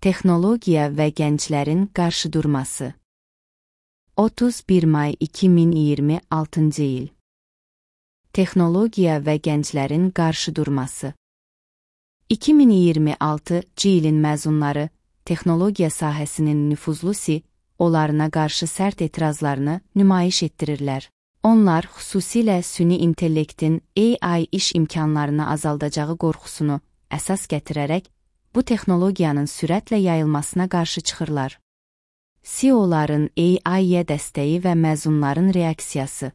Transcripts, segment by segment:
Texnologiya və gənclərin qarşıdurması. 31 may 2026 il. Texnologiya və gənclərin qarşıdurması. 2026 ilin məzunları texnologiya sahəsinin nüfuzlu onlarına qarşı sərt etirazlarını nümayiş etdirirlər. Onlar xüsusilə süni intellektin AI iş imkanlarını azaldacağı qorxusunu əsas gətirərək bu texnologiyanın sürətlə yayılmasına qarşı çıxırlar. CEO-ların AI-yə dəstəyi və məzunların reaksiyası.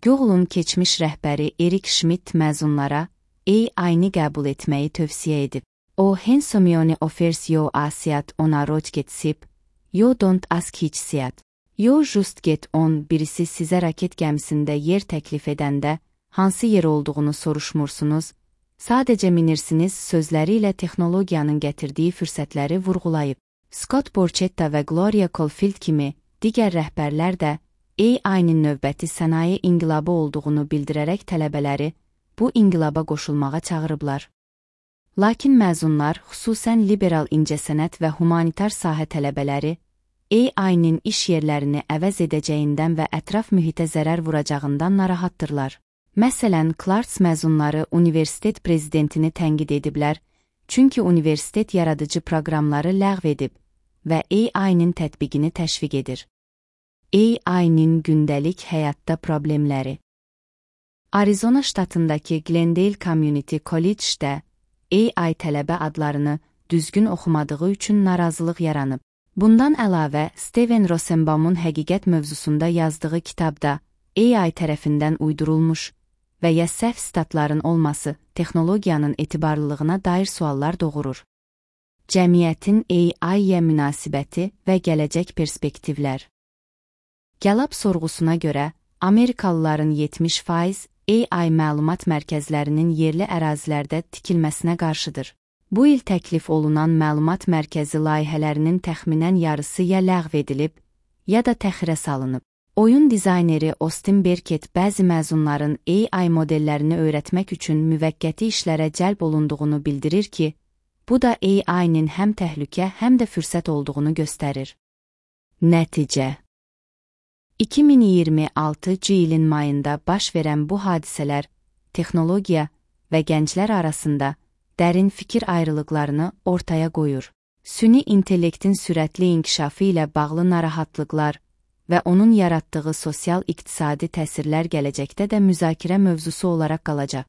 Google'un keçmiş rəhbəri Eric Schmidt məzunlara AI-ni qəbul etməyi tövsiyə edib. O, Hensomyoni offers you asiat ona roç getsip, you don't ask hiçsiyat. You just get on, birisi sizə raket gəmisində yer təklif edəndə, hansı yer olduğunu soruşmursunuz, sadəcə minirsiniz sözləri ilə texnologiyanın gətirdiyi fürsətləri vurğulayıb. Scott Borchetta və Gloria Caulfield kimi digər rəhbərlər də AI-nin növbəti sənaye inqilabı olduğunu bildirərək tələbələri bu inqilaba qoşulmağa çağırıblar. Lakin məzunlar, xüsusən liberal incəsənət və humanitar sahə tələbələri, AI-nin iş yerlərini əvəz edəcəyindən və ətraf mühitə zərər vuracağından narahatdırlar. Məsələn, Clarks məzunları universitet prezidentini tənqid ediblər, çünki universitet yaradıcı proqramları ləğv edib və AI-nin tətbiqini təşviq edir. AI-nin gündəlik həyatda problemləri. Arizona ştatındakı Glendale Community College-də AI tələbə adlarını düzgün oxumadığı üçün narazılıq yaranıb. Bundan əlavə, Steven Rosenbaum'un həqiqət mövzusunda yazdığı kitabda AI tərəfindən uydurulmuş və ya səhv statların olması texnologiyanın etibarlılığına dair suallar doğurur. Cəmiyyətin AI-yə münasibəti və gələcək perspektivlər. Gallup sorğusuna görə, Amerikalıların 70% AI məlumat mərkəzlərinin yerli ərazilərdə tikilməsinə qarşıdır. Bu il təklif olunan məlumat mərkəzi layihələrinin təxminən yarısı ya ləğv edilib, ya da təxirə salınıb. Oyun dizayneri Austin Berkett bəzi məzunların AI modellərini öyrətmək üçün müvəqqəti işlərə cəlb olunduğunu bildirir ki, bu da AI-nin həm təhlükə, həm də fürsət olduğunu göstərir. Nəticə. 2026 ilin mayında baş verən bu hadisələr texnologiya və gənclər arasında dərin fikir ayrılıqlarını ortaya qoyur. Süni intellektin sürətli inkişafı ilə bağlı narahatlıqlar və onun yaratdığı sosial-iqtisadi təsirlər gələcəkdə də müzakirə mövzusu olaraq qalacaq.